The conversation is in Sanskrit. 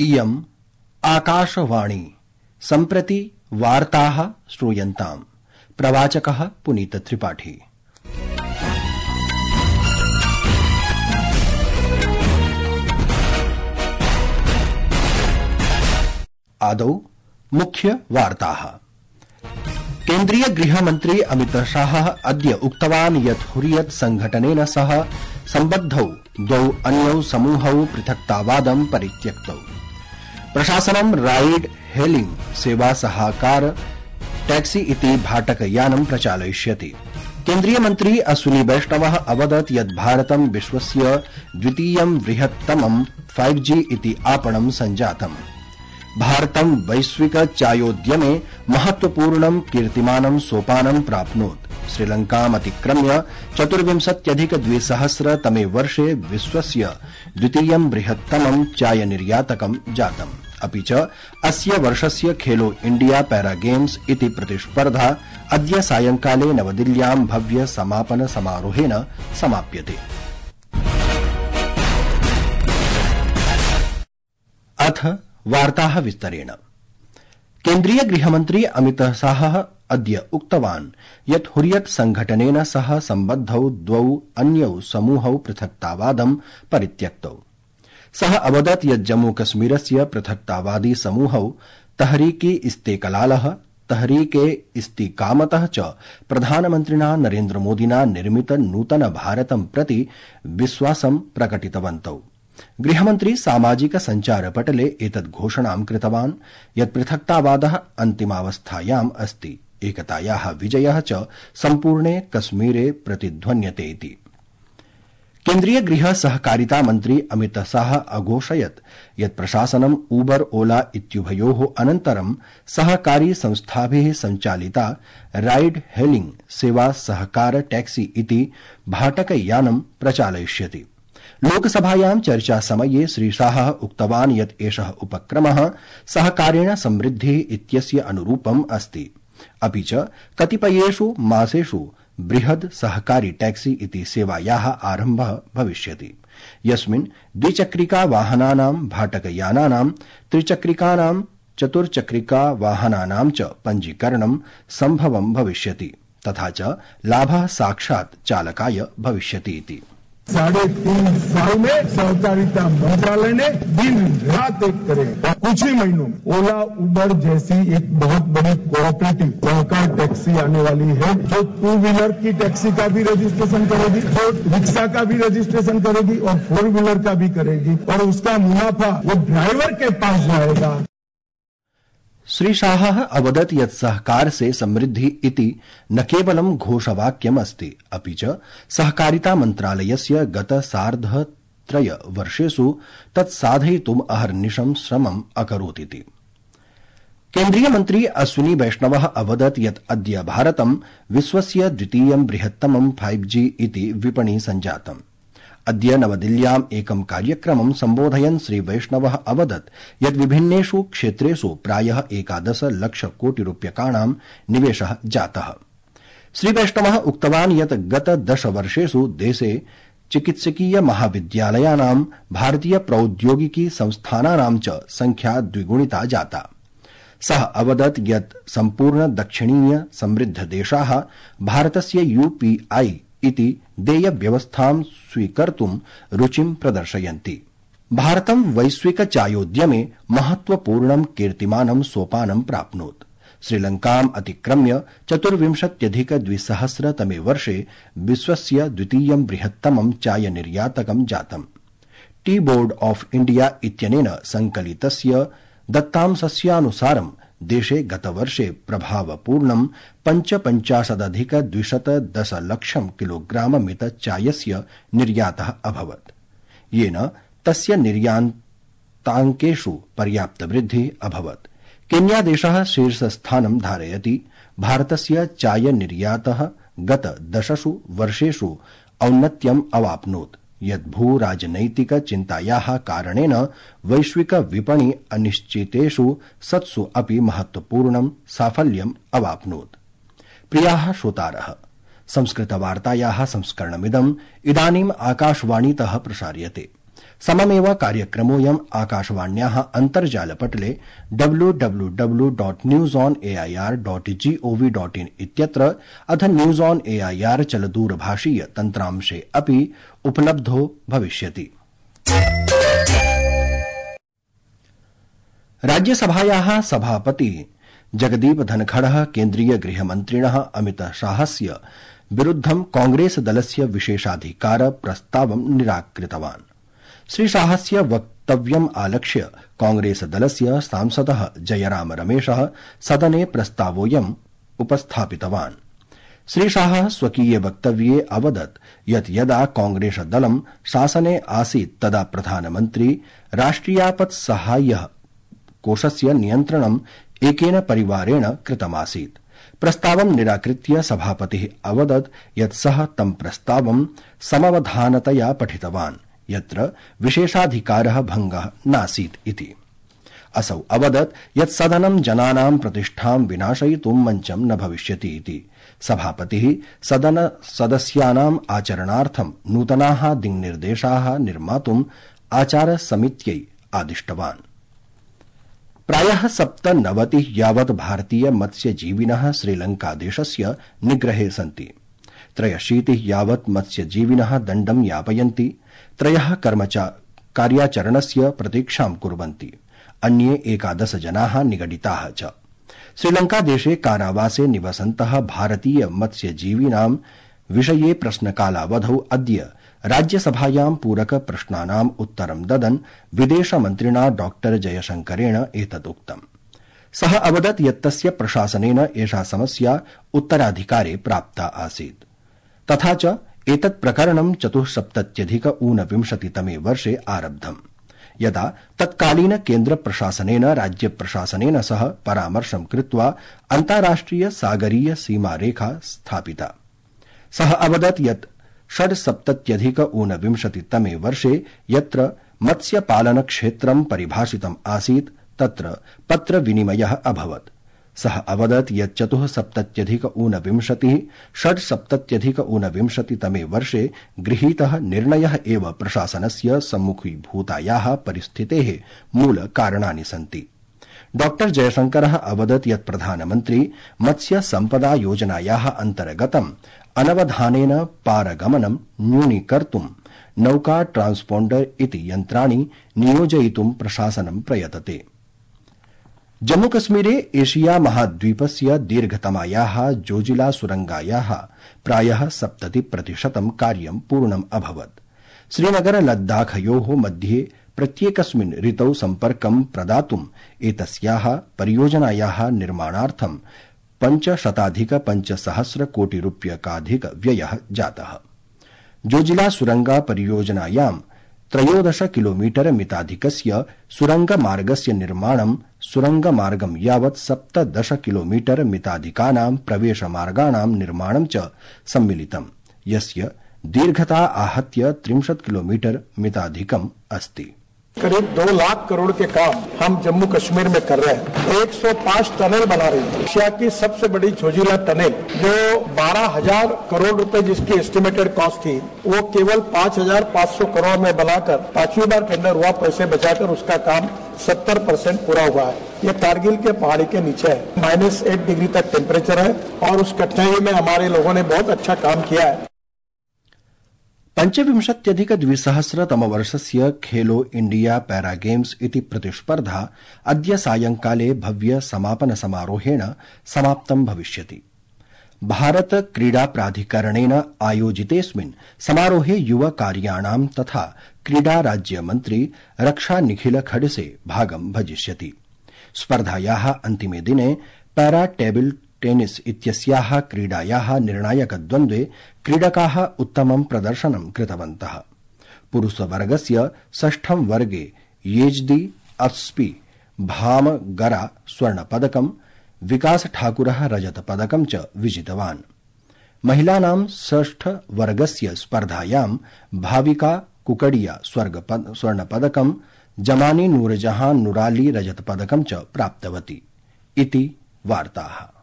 इयम् आकाशवाणी सम्प्रति वार्ताः श्रूयन्ताम्। प्रवाचकः पुनीत त्रिपाठी। आदौ मुख्य वार्ताः। केन्द्रीय गृहमन्त्री अमित शाह अद्य उक्तवान् यत् हुरियत संघटनेन सह सम्बद्धौ द्वौ अन्यौ समूहौ पृथक्तावादं परित्यक्तौ। प्रशासनं राइड हेलिंग सेवा सहाकार टैक्सी इति भाटकयानं प्रचालयिष्यति। केन्द्रीय मन्त्री अश्विनी वैष्णवः अवदत् यत् भारतं विश्वस्य द्वितीयं बृहत्तमं 5G इति आपणं सञ्जातम्। भारतं वैश्विक चायोद्यमे महत्वपूर्णं कीर्तिमानं सोपानं प्राप्नोत्। श्रीलंकामतिक्रम्य 24,200 तमे वर्षे विश्वस्य द्वितीयं बृहत्तमं चायनिर्यातकं जातम्। अपि च अस्य वर्षस्य खेलो इंडिया पैरा गेम्स इति प्रतिस्पर्धा अद्य सायंकाले नवदिल्ल्यां भव्य समापन समारोहेण समाप्यते। अथ वार्ताः विस्तरेण। केन्द्रीय गृहमन्त्री अमित शाहः अद्य उक्तवान् यत् हुरियत संघटनेन सह सम्बद्धौ द्वौ अन्यौ समूहौ पृथक्तावादं परित्यक्तौ। सः अवदत् यत् जम्मूकश्मीरस्य पृथक्तावादी समूहौ तहरीके इस्तेकलालः तहरीके इस्तिकामतः च प्रधानमन्त्रिणा नरेन्द्रमोदिना निर्मित नूतन भारतं प्रति विश्वासं प्रकटितवन्तौ। गृहमन्त्री सामाजिक सञ्चारपटले एतद् घोषणां कृतवान् यत् पृथक्तावादः अन्तिमावस्थायाम् अस्ति, एकतायाः विजयः च सम्पूर्णे कश्मीरे प्रतिध्वन्यते इति। केन्द्रीय गृह सहकारिता मन्त्री अमित शाह अघोषयत् यत् प्रशासनं उबर ओला इत्युभयोः अनन्तरं सहकारी संस्थाभिः सञ्चालिता राइड हेलिंग सेवा सहकार टैक्सी इति भाटकयानं प्रचालयिष्यति। लोकसभायां चर्चासमये श्री शाहः उक्तवान् यत् एषः उपक्रमः सहकारेण समृद्धिः इत्यस्य अनुरूपम् अस्ति। अपि च कतिपयेषु मासेषु बृहद् सहकारी टैक्सी इति सेवायाः आरम्भः भविष्यति, यस्मिन् द्विचक्रिका वाहनानां, भाटकयानानां, त्रिचक्रिकानां, चतुर्चक्रिका वाहनानां च पञ्जीकरणं सम्भवं भविष्यति, तथा च लाभः साक्षात् चालकाय भविष्यति इति। 3.5 साल में सहकारिता मंत्रालय ने दिन रात एक करे और कुछ ही महीनों में ओला उबर जैसी एक बहुत बड़ी कोऑपरेटिव सहकार टैक्सी आने वाली है, जो 2 व्हीलर की टैक्सी का भी रजिस्ट्रेशन करेगी, जो रिक्शा का भी रजिस्ट्रेशन करेगी और 4 व्हीलर का भी करेगी, और उसका मुनाफा वो ड्राइवर के पास जाएगा। श्री शाहः अवदत् यत् सहकार से समृद्धि इति न केवलं घोषवाक्यम् अस्ति, अपि च सहकारिता मन्त्रालयस्य गत सार्ध-3 वर्षेषु तत् साधयितुम् अहर्निशं श्रमम् अकरोत् इति। केन्द्रीय मन्त्री अश्विनी वैष्णवः अवदत् यत् अद्य भारतं विश्वस्य द्वितीयं बृहत्तमं 5G इति विपणि सञ्जातम्। अद्य नवदिल्ल्याम् एकं कार्यक्रमं सम्बोधयन् श्री वैष्णवः अवदत् यत् विभिन्नेषु क्षेत्रेषु प्रायः 11 लाख कोटि रूप्यकाणां निवेशः जातः। श्री वैष्णवः उक्तवान् यत् गत 10 वर्षेषु देशे चिकित्सकीय महाविद्यालयानां, भारतीय प्रौद्योगिकी संस्थानानां च संख्या द्विगुणिता जाता। सः अवदत् यत् सम्पूर्ण दक्षिणीय समृद्ध देशाः भारतस्य UPI इति देय व्यवस्थां स्वीकर्तुं रुचिं प्रदर्शयन्ति। भारतं वैश्विक चायोद्यमे महत्वपूर्णं कीर्तिमानं सोपानं प्राप्नोत्। श्रीलंकाम् अतिक्रम्य 24,200 तमे वर्षे विश्वस्य द्वितीयं बृहत्तमं चायनिर्यातकं जातम्। टी बोर्ड ऑफ इंडिया इत्यनेन संकलितस्य दत्तांशस्यानुसारं देशे गतवर्षे प्रभावपूर्णं 55,210 लक्षं किलोग्राममित चायस्य निर्यातः अभवत्, येन तस्य निर्याताङ्केषु पर्याप्तवृद्धिः अभवत्। केन्यादेशः शीर्षस्थानं धारयति। भारतस्य चायनिर्यातः गत 10 वर्षेषु औन्नत्यम् अवाप्नोत्, यत् भूराजनैतिक चिन्तायाः कारणेन वैश्विक विपणि अनिश्चितेषु सत्सु अपि महत्वपूर्णं साफल्यम् अवाप्नोत्। प्रियाः श्रोतारः, संस्कृतवार्तायाः संस्करणमिदम् इदानीम् आकाशवाणीतः प्रसार्यते। सममेव कार्यक्रमोऽयम् आकाशवाण्याः अन्तर्जालपटले www.newsonair.gov.in इत्यत्र अथ न्यूज ऑन एआईआर चलदूरभाषीय तन्त्रांशे अपि उपलब्धो भविष्यति। राज्यसभायाः सभापतिः जगदीप धनखड़ः केन्द्रीय गृहमन्त्रिणः अमितशाहस्य विरुद्धं कांग्रेस दलस्य विशेषाधिकार प्रस्तावं निराकृतवान्। श्रीशाहस्य वक्तव्यम् आलक्ष्य कांग्रेस दलस्य सांसदः जयराम रमेशः सदने प्रस्तावोऽयम् उपस्थापितवान्। श्रीशाहः स्वकीये वक्तव्ये अवदत् यत् यदा कांग्रेस दलं शासने आसीत् तदा प्रधानमन्त्री राष्ट्रियापत्साहाय्य कोषस्य नियन्त्रणम् एकेन परिवारेण कृतमासीत्। प्रस्तावं निराकृत्य सभापतिः अवदत् यत् सः तं प्रस्तावं समवधानतया पठितवान् यत्र विशेषाधिकारः भङ्गः नासीत् इति। असौ अवदत् यत् सदनं जनानां प्रतिष्ठां विनाशयितुं मञ्चं न भविष्यति इति। सभापतिः सदन सदस्यानाम् आचरणार्थं नूतनाः दिङ्निर्देशाः निर्मातुम् आचारसमित्यै आदिष्टवान्। प्रायः 97 यावत् भारतीय मत्स्यजीविनः श्रीलंकादेशस्य निग्रहे सन्ति। 63 यावत् मत्स्यजीविनः दण्डं यापयन्ति। 3 कार्याचरणस्य प्रतीक्षां कुर्वन्ति। अन्ये 11 जनाः निगडिताः च। श्रीलंकादेशे कारावासे निवसन्तः भारतीय मत्स्यजीविनां विषये प्रश्नकालावधौ अद्य राज्यसभायां पूरक प्रश्नानाम् उत्तरं ददन् विदेशमन्त्रिणा डॉ जयशंकरेण एतदुक्तम्। सः अवदत् यत् तस्य प्रशासनेन एषा समस्या उत्तराधिकारे प्राप्ता आसीत्। तथा च एतत् प्रकरणं 1974-तमे वर्षे आरब्धम्, यदा तत्कालीन केन्द्र प्रशासनेन राज्य प्रशासनेन सह परामर्शं कृत्वा अन्ताराष्ट्रिय सागरीय सीमारेखा स्थापिता। सः अवदत् यत् 1976-तमे वर्षे यत्र मत्स्यपालनक्षेत्रं परिभाषितम् आसीत् तत्र पत्रविनिमयः अभवत्। सः अवदत् यत् 1977-1979-तमे वर्षे गृहीतः निर्णयः एव प्रशासनस्य सम्मुखीभूतायाः परिस्थितेः मूलकारणानि सन्ति। डॉ जयशंकरः अवदत् यत् प्रधानमन्त्री मत्स्य सम्पदा योजनायाः अन्तर्गतम् अनवधानेन पारगमनं न्यूनीकर्तुं नौका ट्रांसपोण्डर इति यन्त्राणि नियोजयितुं प्रशासनं प्रयतते। जम्मूकश्मीरे एशिया महाद्वीपस्य दीर्घतमायाः जोजिला सुरंगायाः प्रायः 70% कार्यं पूर्णम् अभवत्। श्रीनगर लद्दाखयोः मध्ये प्रत्येकस्मिन् ऋतौ सम्पर्कं प्रदातुम् एतस्याः परियोजनायाः निर्माणार्थं 500,500 कोटि रूप्यकाधिक व्ययः जातः। जोजिला सुरंगा परियोजनायां 13 किलोमीटर मिताधिकस्य सुरंगमार्गस्य निर्माणं, सुरंगमार्गं यावत् 17 किलोमीटर मिताधिकानां प्रवेशमार्गाणां निर्माणं च सम्मिलितम्, यस्य दीर्घता आहत्य 30 किलोमीटर मिताधिकम् अस्ति। करीब 2 लाख करोड़ के काम हम जम्मू कश्मीर में कर रहे हैं। 105 टनल बना रही है। एशिया की सबसे बड़ी जोजिला टनल जो 12,000 करोड़ रुपए जिसकी एस्टिमेटेड कॉस्ट थी, वो केवल 5,500 करोड़ में बनाकर 5वीं बार टेंडर हुआ, पैसे बचाकर उसका काम 70% पूरा हुआ है। ये कारगिल के पहाड़ी के नीचे है। -8 डिग्री तक टेम्परेचर है और उस कठिनाई में हमारे लोगों ने बहुत अच्छा काम किया है। 25-2000-तमवर्षस्य खेलो इंडिया पैरा गेम्स इति प्रतिस्पर्धा अद्य सायंकाले भव्य समापन समारोहेण समाप्तं भविष्यति। भारत क्रीडा प्राधिकरणेन आयोजितेऽस्मिन् समारोहे युव कार्याणां तथा क्रीडा राज्यमन्त्री रक्षा निखिल खड़से भागं भजिष्यति। स्पर्धायाः अन्तिमे दिने पैरा टेबल टेनिस इत्यस्याः क्रीडायाः निर्णायकद्वन्द्वे क्रीडकाः उत्तमं प्रदर्शनं कृतवन्तः। पुरुषवर्गस्य 6ठं वर्गे येजदी अस्पी भामगरा स्वर्णपदकं, विकास ठाकुरः रजतपदकं च विजितवान्। महिलानां 6ठ वर्गस्य स्पर्धायां भाविका कुकडिया स्वर्णपदकं, जमानी नूरजहां नुराली रजतपदकं च प्राप्तवती इति वार्ताः।